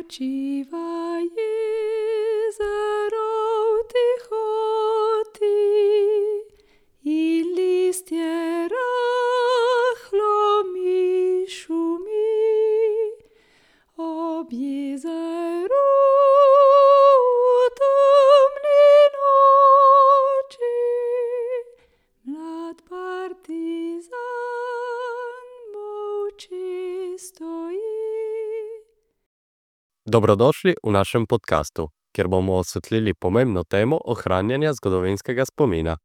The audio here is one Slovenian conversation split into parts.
Očiva jezero tichoti i listje rahlo mi šumi ob jezeru temni noči mlad partizan molči stoji. Dobrodošli v našem podkastu, kjer bomo osvetlili pomembno temo ohranjanja zgodovinskega spomina.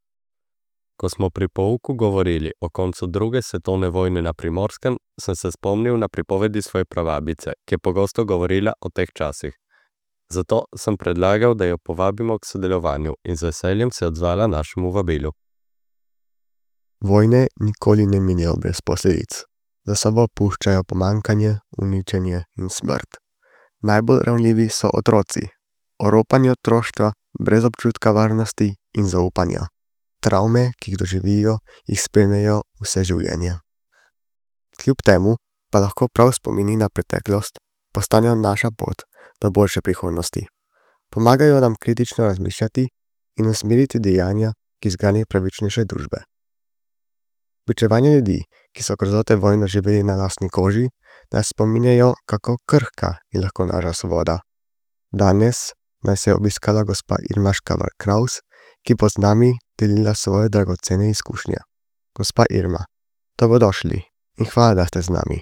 Ko smo pri pouku govorili o koncu druge svetovne vojne na Primorskem, sem se spomnil na pripovedi svoje prababice, ki je pogosto govorila o teh časih. Zato sem predlagal, da jo povabimo k sodelovanju in z veseljem se odzvala našemu vabilu. Vojne nikoli ne minejo brez posledic. Za sabo puščajo pomanjkanje, uničenje in smrt. Najbolj ranljivi so otroci. Oropanje otroštva, brez občutka varnosti in zaupanja. Travme, ki jih doživijo, jih spremljajo vse življenje. Kljub temu pa lahko prav spomini na preteklost postanejo naša pot do boljše prihodnosti. Pomagajo nam kritično razmišljati in usmeriti dejanja k izgradnji pravičnejše družbe. Pričevanja ljudi, ki so grozote vojne živeli na lastni koži, nas spominjajo, kako krhka je lahko naša svoboda. Danes nas je obiskala gospa Irma Škavar-Kraus, ki bo z nami delila svoje dragocene izkušnje. Gospa Irma, dobrodošli in hvala, da ste z nami.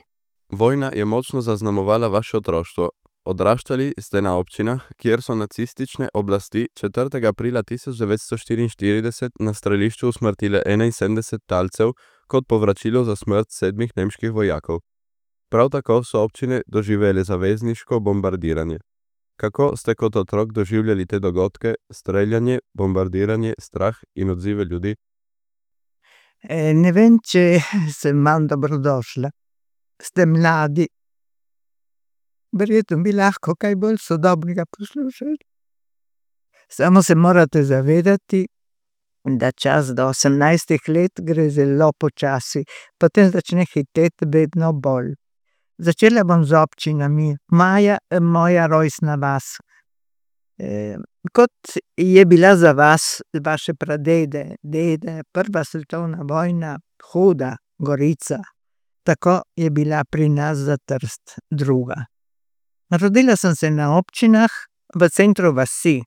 Vojna je močno zaznamovala vaše otroštvo. Odraščali ste na občinah, kjer so nacistične oblasti 4. aprila 1944 na strelišču usmrtile 71 talcev kot povračilo za smrt 7 nemških vojakov. Prav tako so občine doživele zavezniško bombardiranje. Kako ste kot otrok doživljali te dogodke, streljanje, bombardiranje, strah in odzive ljudi? Ne vem, če sem manj dobrodošla. Ste mladi. Verjetno bi lahko kaj bolj sodobnega poslušali. Samo se morate zavedati, da čas do 18 let gre zelo počasi, potem začne hiteti vedno bolj. Začela bom z občinami. Moja rojstna vas. Kot je bila za vas, vaše pradede, dede, prva svetovna vojna, huda, Gorica, tako je bila pri nas za Trst druga. Rodila sem se na občinah v centru vasi.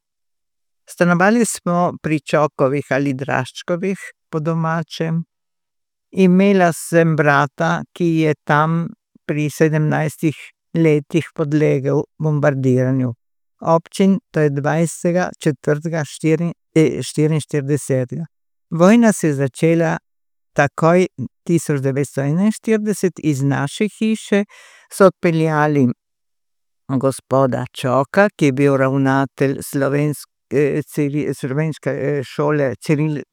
Stanovali smo pri Čokovih ali Draščkovih po domačem. Imela sem brata, ki je tam pri 17 letih podlegel bombardiranju. Občin, to je 20.4.44. Vojna se je začela takoj 1941. Iz naše hiše so odpeljali gospoda Čoka, ki je bil ravnatelj slovenske šole,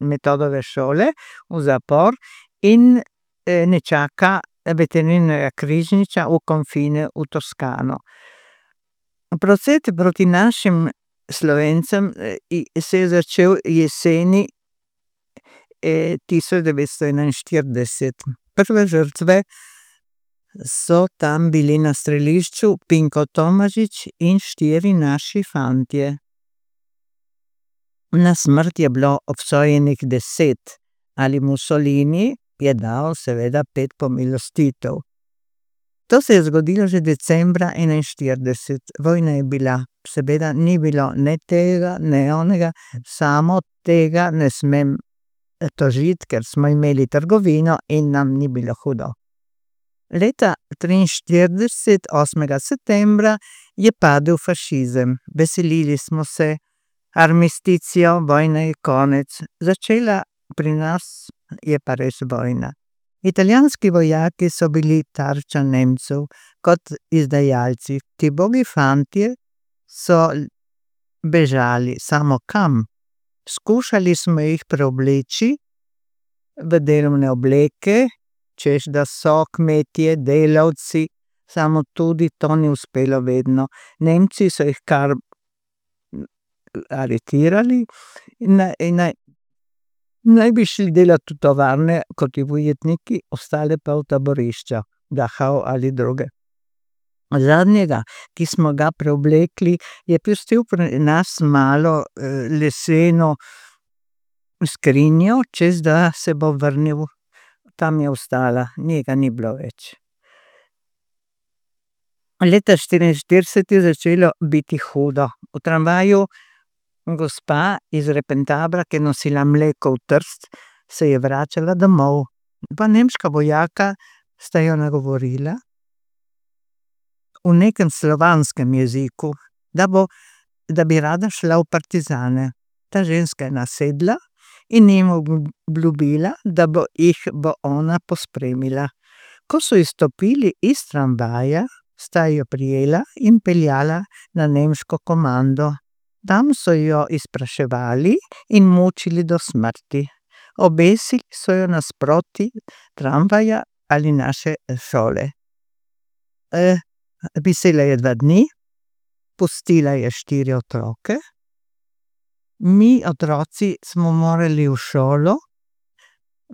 Metodove šole, v zapor in nečaka Veterinarnega križniča v konfine v Toskano. Proces proti našim Slovencem se je začel jeseni 1941. Prve žrtve so tam bili na strelišču Pinko Tomažič in 4 naši fantje. Na smrt je bilo obsojenih 10, ali Mussolini je dal seveda 5 pomilostitev. To se je zgodilo že decembra 1941. Vojna je bila, seveda ni bilo ne tega, ne onega, samo tega ne smem tožiti, ker smo imeli trgovino in nam ni bilo hudo. Leta 1943, 8. septembra, je padel fašizem. Veselili smo se, armisticijo, vojna je konec. Začela pri nas je pa res vojna. Italijanski vojaki so bili tarča Nemcev kot izdajalci. Ti bogi fantje so bežali, samo kam? Skušali smo jih preobleči v delovne obleke, češ da so kmetje, delavci, samo tudi to ni uspelo vedno. Nemci so jih kar aretirali in naj bi šli delati v tovarne kot ujetniki, ostale pa v taborišča, Dachau ali druge. Zadnjega, ki smo ga preoblekli, je pustil pri nas malo leseno skrinjo, čez da se bo vrnil. Tam je ostala, njega ni bilo več. Leta 1944 je začelo biti hudo. V tramvaju gospa iz Repentabra, ki je nosila mleko v Trst, se je vračala domov. Dva nemška vojaka sta jo nagovorila v nekem slovanskem jeziku, da bi rada šla v partizane. Ta ženska je nasedla in jim obljubila, da jih bo ona pospremila. Ko so izstopili iz tramvaja, sta jo prijela in peljala na nemško komando. Tam so jo izpraševali in mučili do smrti. Obesili so jo nasproti tramvaja ali naše šole. Visela je 2 dni, pustila je 4 otroke. Mi, otroci, smo morali v šolo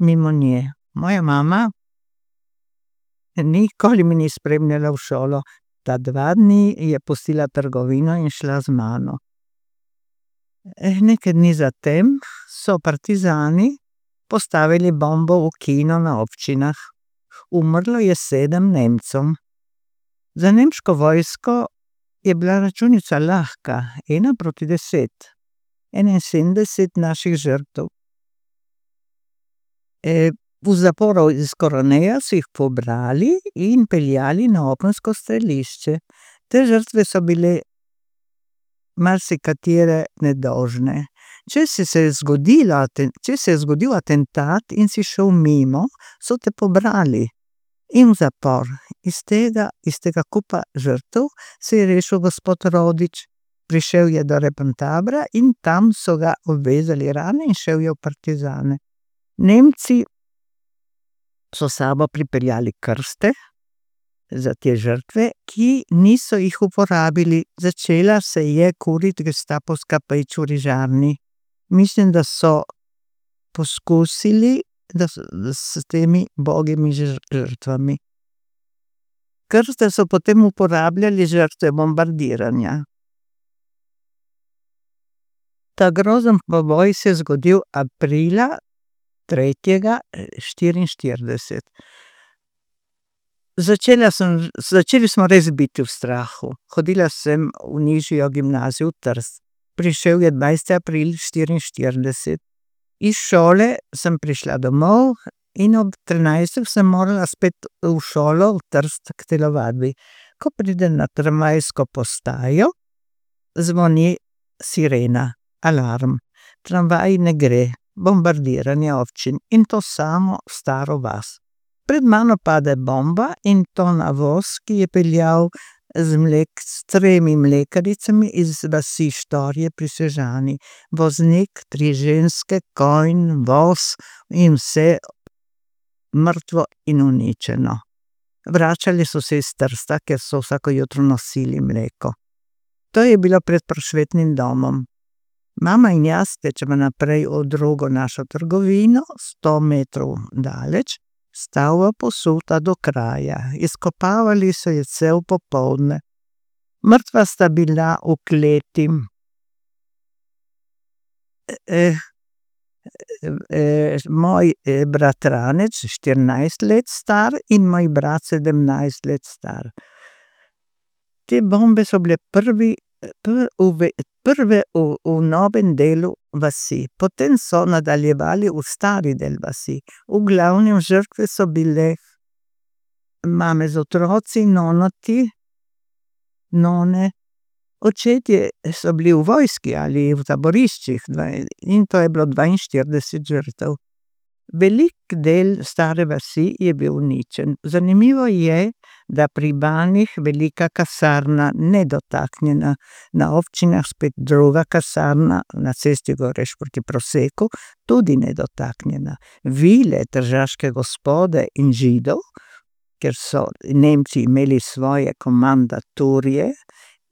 mimo nje. Moja mama nikoli me ni spremljala v šolo. Ta 2 dni je pustila trgovino in šla z mano. Nekaj dni zatem so partizani postavili bombo v kino na Občinah. Umrlo je 7 Nemcev. Za nemško vojsko je bila računica lahka, 1:10. 71 naših žrtev. V zaporu iz Koroneja so jih pobrali in peljali na opensko strelišče. Te žrtve so bile marsikatere nedolžne. Če se je zgodil atentat in si šel mimo, so te pobrali in v zapor. Iz tega kupa žrtev se je rešil gospod Rodič. Prišel je do Repentabra in tam so ga obvezali rane in šel je v partizane. Nemci so s sabo pripeljali krste za te žrtve, ki niso jih uporabili. Začela se je kuriti gestapovska peč v Rižarni. Mislim, da so poskusili s temi bogimi žrtvami. Krste so potem uporabljali žrtve bombardiranja. Ta grozen poboj se je zgodil aprila 3. 1944. Začeli smo res biti v strahu. Hodila sem v nižjo gimnazijo v Trst. Prišel je 20. april 1944. Iz šole sem prišla domov in ob 13. sem morala spet v šolo v Trst k telovadbi. Ko pridem na tramvajsko postajo, zvoni sirena, alarm. Tramvaj ne gre, bombardiranje občin in to samo staro vas. Pred mano pade bomba in to na voz, ki je peljal s 3 mlekaricami iz vasi Štorje pri Sežani. Voznik, 3 ženske, konj, voz in vse mrtvo in uničeno. Vračali so se iz Trsta, ker so vsako jutro nosili mleko. To je bilo pred Prosvetnim domom. Mama in jaz tečemo naprej v drugo našo trgovino, 100 metrov daleč, stavba posuta do kraja. Izkopavali so jo cel popoldne. Mrtva sta bila v kleti. Moj bratranec, 14 let star, in moj brat, 17 let star. Te bombe so bile prve v novem delu vasi. Potem so nadaljevali v stari del vasi. V glavnem žrtve so bile mame z otroci, none. Očetje so bili v vojski ali v taboriščih in to je bilo 42 žrtev. Velik del stare vasi je bil uničen. Zanimivo je, da pri Banjih velika kasarna nedotaknjena, na Občinah spet druga kasarna, na cesti Goreš proti Proseku, tudi nedotaknjena. Vile tržaške gospode in Židov, ker so Nemci imeli svoje komandaturje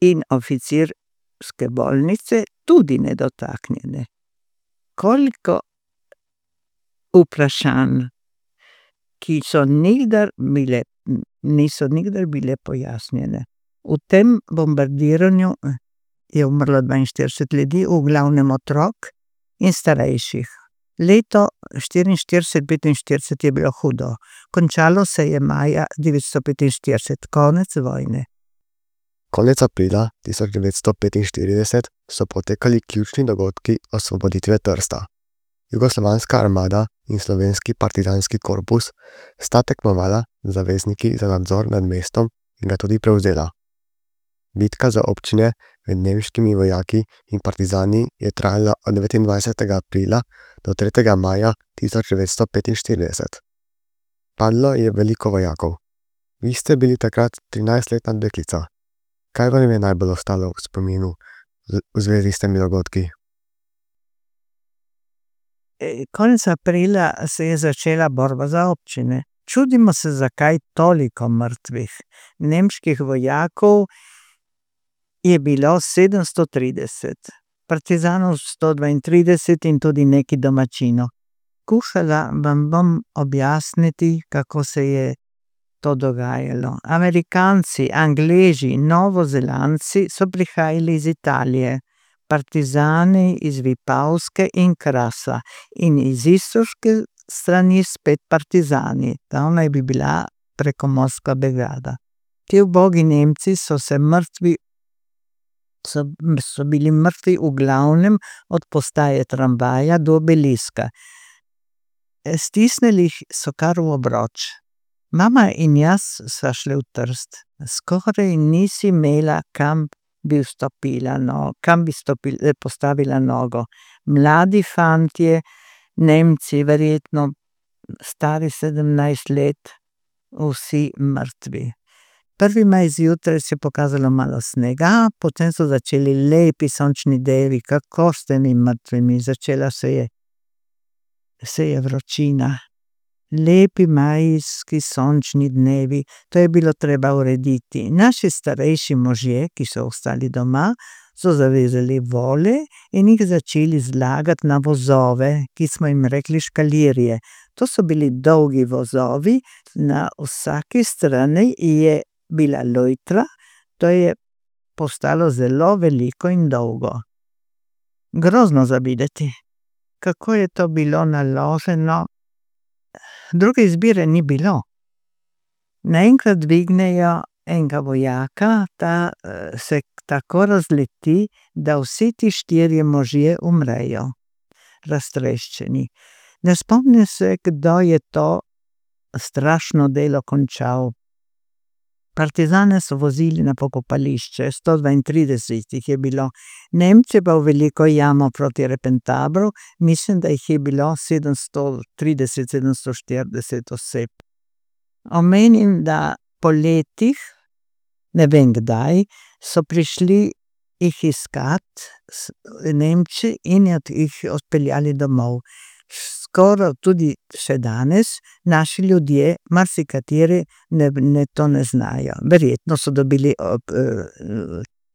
in oficirske bolnice, tudi nedotaknjene. Koliko vprašanj, ki niso nikdar bile pojasnjene. V tem bombardiranju je umrlo 42 ljudi, v glavnem otrok in starejših. Leto 44-45 je bilo hudo. Končalo se je maja 945, konec vojne. Konec aprila 1945 so potekali ključni dogodki osvoboditve Trsta. Jugoslovanska armada in slovenski partizanski korpus sta tekmovala z zavezniki za nadzor nad mestom in ga tudi prevzela. Bitka za občine med nemškimi vojaki in partizani je trajala od 29. aprila do 3. maja 1945. Padlo je veliko vojakov. Vi ste bili takrat 13-letna deklica. Kaj vam je najbolj ostalo v spominu v zvezi s temi dogodki? Konec aprila se je začela borba za občine. Čudimo se, zakaj toliko mrtvih. Nemških vojakov je bilo 730, partizanov 132 in tudi neki domačinov. Skušala vam bom objasniti, kako se je to dogajalo. Amerikanci, Angleži, Novozelandci so prihajali iz Italije, partizani iz Vipavske in Krasa in iz istovske strani spet partizani. Ta naj bi bila prekomorska brigada. Ti ubogi Nemci so bili mrtvi v glavnem od postaje tramvaja do obeliska. Stisnili so kar v obroč. Mama in jaz sva šli v Trst. Skoraj nisi imela, kam bi postavila nogo. Mladi fantje, Nemci, verjetno stari 17 let, vsi mrtvi. 1. maj zjutraj se je pokazalo malo snega, potem so začeli lepi sončni dnevi, kako s temi mrtvimi. Začela se je vročina. Lepi majski sončni dnevi, to je bilo treba urediti. Naši starejši možje, ki so ostali doma, so zavezali vole in jih začeli zlagati na vozove, ki smo jim rekli škalirje. To so bili dolgi vozovi, na vsaki strani je bila lojtra, to je postalo zelo veliko in dolgo. Grozno za videti, kako je to bilo naloženo. Druge izbire ni bilo. Naenkrat dvignejo enega vojaka, ta se tako razleti, da vsi ti 4 možje umrejo, raztreščeni. Ne spomnim se, kdo je to strašno delo končal. Partizane so vozili na pokopališče, 132 jih je bilo. Nemci pa v veliko jamo proti Repentabru, mislim, da jih je bilo 730-740 oseb. Omenim, da po letih, ne vem kdaj, so prišli jih iskat Nemci in jih odpeljali domov. Skoraj tudi še danes naši ljudje, marsikateri, to ne znajo. Verjetno so dobili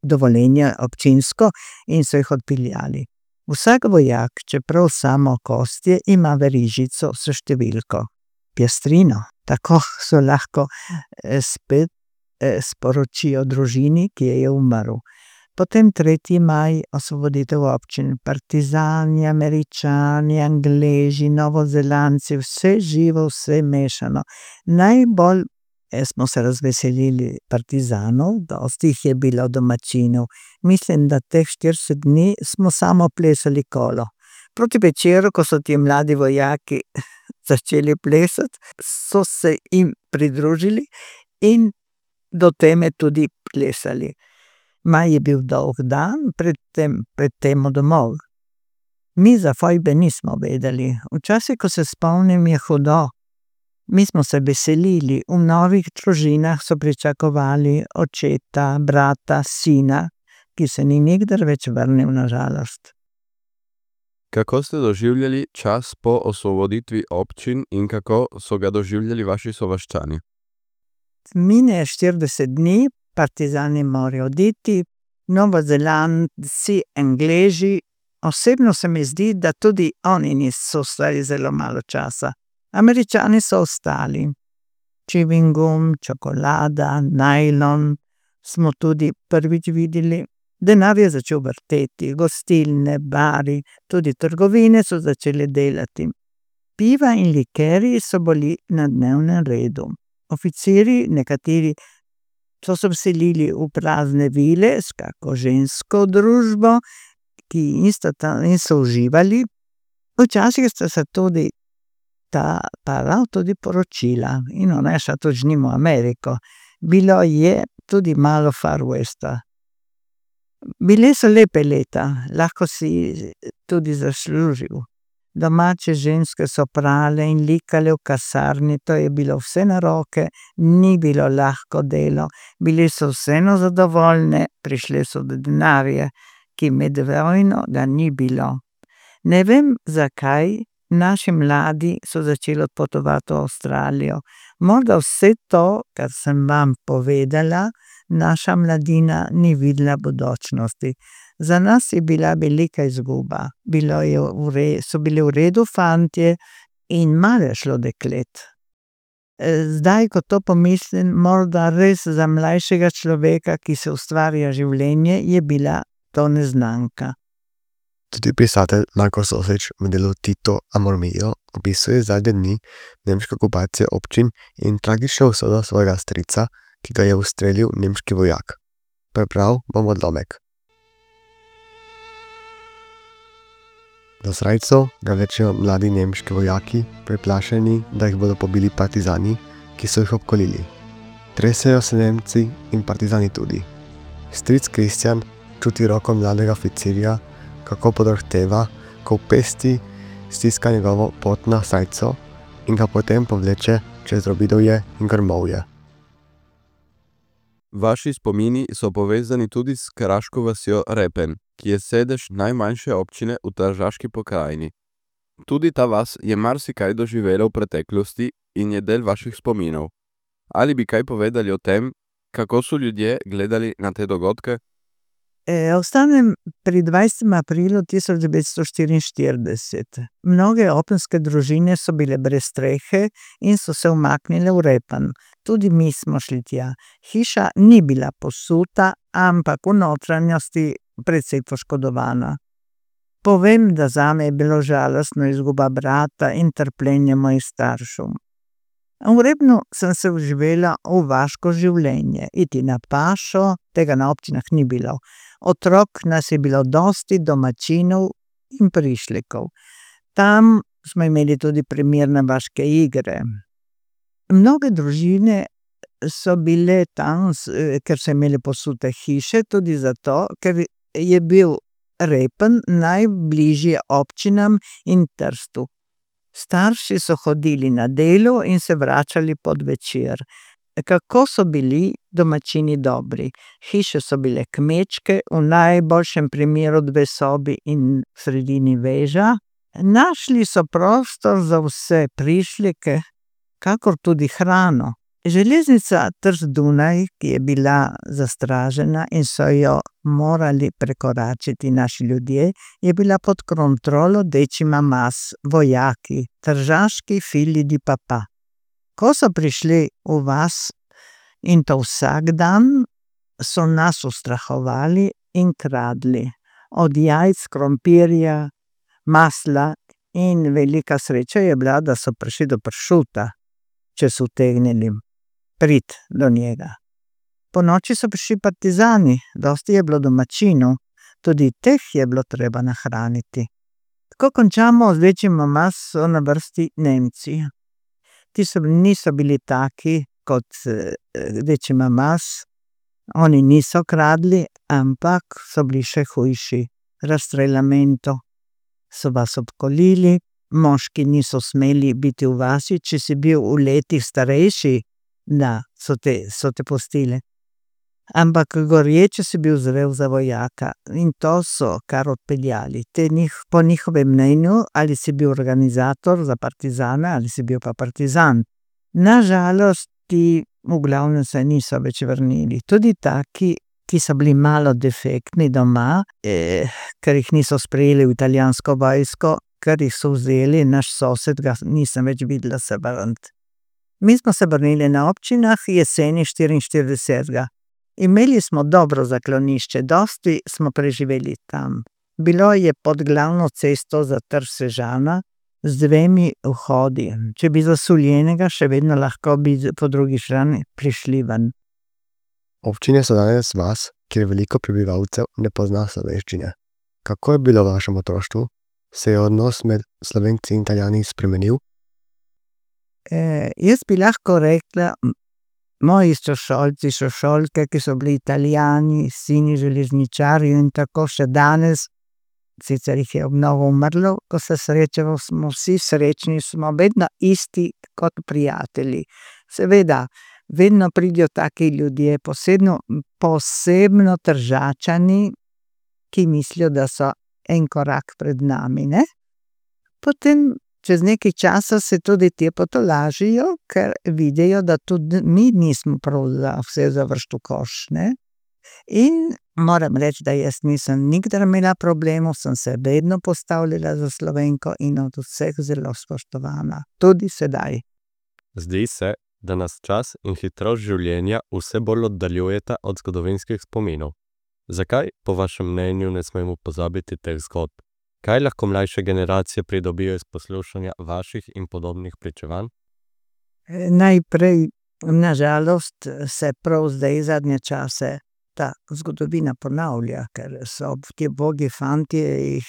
dovoljenje občinsko in so jih odpeljali. Vsak vojak, čeprav samo kostje, ima verižico s številko. Pjastrino. Tako so lahko spet sporočijo družini, ki je umrl. Potem 3. maj, osvoboditev občin. Partizani, Američani, Angleži, Novozelandci, vse živo, vse mešano. Najbolj smo se razveselili partizanov, dosti jih je bilo domačinov. Mislim, da teh 40 dni smo samo plesali kolo. Proti večeru, ko so ti mladi vojaki začeli plesati, so se jim pridružili in do teme tudi plesali. Maj je bil dolg dan, predtem domov. Mi za fojbe nismo vedeli. Včasih, ko se spomnim, je hudo. Mi smo se veselili, v novih družinah so pričakovali očeta, brata, sina, ki se ni nikdar več vrnil, na žalost. Kako ste doživljali čas po osvoboditvi občin in kako so ga doživljali vaši sovaščani? Mine 40 dni, partizani morajo oditi, Novozelandci, Angleži. Osebno se mi zdi, da tudi oni niso ostali zelo malo časa. Američani so ostali. Chewing gum, čokolada, najlon, smo tudi prvič videli. Denar je začel vrteti, gostilne, bari, tudi trgovine so začele delati. Piva in likerji so bili na dnevnem redu. Oficirji, nekateri so se vselili v prazne vile s kako žensko družbo, in so uživali. Včasih sta se tudi ta para tudi poročila in ona je šla tudi z njim v Ameriko. Bilo je tudi malo Far Westa. Bile so lepe leta, lahko si tudi zaslužil. Domače ženske so prale in likale v kasarni, to je bilo vse na roke, ni bilo lahko delo. Bile so vseeno zadovoljne, prišle so do denarja, ki med vojno ga ni bilo. Ne vem, zakaj naši mladi so začeli odpotovati v Avstralijo. Morda vse to, kar sem vam povedala, naša mladina ni videla bodočnosti. Za nas je bila velika izguba. So bili v redu fantje in malo je šlo deklet. Zdaj, ko to pomislim, morda res za mlajšega človeka, ki se ustvarja življenje, je bila to neznanka. Tudi pisatelj Marko Sosič v delu Tito Amor Mio opisuje zadnje dni nemške okupacije občin in tragično usodo svojega strica, ki ga je ustrelil nemški vojak. Prebral bom odlomek. Do srajcev ga vlečejo mladi nemški vojaki, preplašeni, da jih bodo pobili partizani, ki so jih obkolili. Tresejo se Nemci in partizani tudi. Stric Kristjan čuti roko mladega oficirja, kako podrhteva, ko v pesti stiska njegovo potno srajco in ga potem povleče čez Robidovje in Grmovje. Vaši spomini so povezani tudi s kraško vasjo Repen, ki je sedež najmanjše občine v Tržaški pokrajini. Tudi ta vas je marsikaj doživela v preteklosti in je del vaših spominov. Ali bi kaj povedali o tem, kako so ljudje gledali na te dogodke? Ostanem pri 20. aprilu 1944. Mnoge openske družine so bile brez strehe in so se umaknile v Repen. Tudi mi smo šli tja. Hiša ni bila posuta, ampak v notranjosti precej poškodovana. Povem, da zame je bilo žalostno izguba brata in trpljenje mojih staršev. V Rebnu sem se vživela v vaško življenje. Iti na pašo, tega na občinah ni bilo. Otrok nas je bilo dosti, domačinov in prišlekov. Tam smo imeli tudi primerne vaške igre. Mnoge družine so bile tam, ker so imeli posute hiše, tudi zato, ker je bil Repen najbližje občinam in Trstu. Starši so hodili na delo in se vračali pod večer. Kako so bili domačini dobri. Hiše so bile kmečke, v najboljšem primeru 2 sobi in v sredini veža. Našli so prostor za vse prišleke, kakor tudi hrano. Železnica Trst-Dunaj, ki je bila zastražena in so jo morali prekoračiti naši ljudje, je bila pod kontrolo Decima Mas, vojaki, tržaški fili di papa. Ko so prišli v vas, in to vsak dan, so nas ustrahovali in kradli. Od jajc, krompirja, masla in velika sreča je bila, da so prišli do pršuta, če so utegnili priti do njega. Po noči so prišli partizani, dosti je bilo domačinov, tudi teh je bilo treba nahraniti. Ko končamo z Decima Mas, so na vrsti Nemci. Ti niso bili taki kot Decima Mas, oni niso kradli, ampak so bili še hujši. Razstreljamento so vas obkolili, moški niso smeli biti v vasi, če si bil v letih starejši, da so te pustili. Ampak gorje, če si bil zrel za vojaka, in to so kar odpeljali. Po njihovem mnenju, ali si bil organizator za partizane, ali si bil pa partizan. Nažalost, ti v glavnem se niso več vrnili. Tudi taki, ki so bili malo defektni doma, ker jih niso sprejeli v italijansko vojsko, ker jih so vzeli, naš sosed ga nisem več videla se vrniti. Mi smo se vrnili na občinah jeseni 44. Imeli smo dobro zaklonišče, dosti smo preživeli tam. Bilo je pod glavno cesto za Trg Sežana z 2 vhodi. Če bi zasuljenega, še vedno lahko bi po drugi strani prišli ven. Občine so danes vas, kjer veliko prebivalcev ne pozna slovenščine. Kako je bilo v vašem otroštvu? Se je odnos med Slovenci in Italijani spremenil? Jaz bi lahko rekla, moji sošolci, sošolke, ki so bili Italijani, sini železničarjev in tako še danes, sicer jih je mnogo umrlo, ko se srečamo, smo vsi srečni, smo vedno isti kot prijatelji. Seveda, vedno pridejo taki ljudje, posebno Tržačani, ki mislijo, da so en korak pred nami, ne? Potem čez nekaj časa se tudi te potolažijo, ker vidijo, da tudi mi nismo prav za vse zavržti v koš, ne. In moram reči, da jaz nisem nikdar imela problemov, sem se vedno postavljala za Slovenko in od vseh zelo spoštovana, tudi sedaj. Zdi se, da nas čas in hitrost življenja vse bolj oddaljujeta od zgodovinskih spominov. Zakaj, po vašem mnenju, ne smemo pozabiti teh zgodb? Kaj lahko mlajše generacije pridobijo iz poslušanja vaših in podobnih pričevanj? Najprej, na žalost, se prav zdaj zadnje čase ta zgodovina ponavlja, ker so ti ubogi fantje,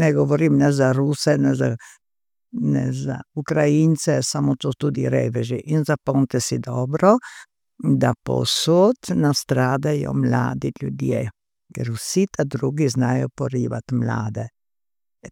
ne govorim ne za Ruse, ne za Ukrajince, samo to tudi reveži. In zapomnite si dobro, da povsod nastradajo mladi ljudje, ker vsi ta drugi znajo porivati mlade.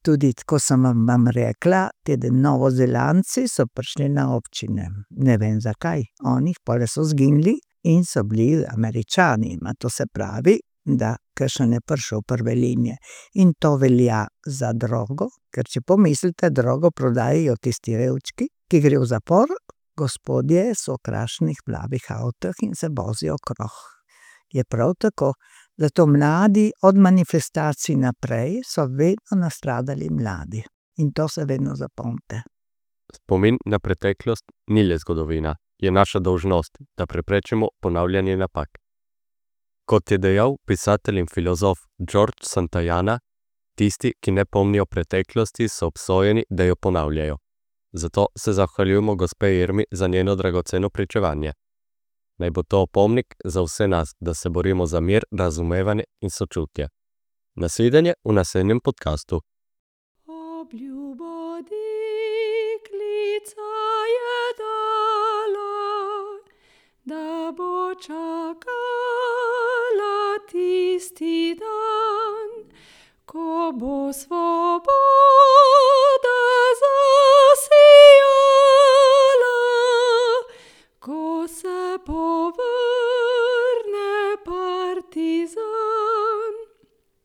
Tudi, ko sem vam rekla, ti Novozelandci so prišli na občine. Ne vem zakaj, oni pole so zginili in so bili Američani. To se pravi, da kakšen je prišel prve linije. In to velja za drogo, ker če pomislite, drogo prodajajo tisti revčki, ki gre v zapor, gospodje so v krasnih plavih avtih in se vozijo okrog. Je prav tako. Zato mladi od manifestacij naprej so vedno nastradali mladi. In to se vedno zapomnite. Spomin na preteklost ni le zgodovina, je naša dolžnost, da preprečimo ponavljanje napak. Kot je dejal pisatelj in filozof George Santayana, tisti, ki ne pomnijo preteklosti, so obsojeni, da jo ponavljajo. Zato se zahvaljujemo gospe Irmi za njeno dragoceno pričevanje. Naj bo to opomnik za vse nas, da se borimo za mir, razumevanje in sočutje. Nasvidenje v naslednjem podcastu. Obljubo deklica je dala, da bo čakala tisti dan, ko bo svoj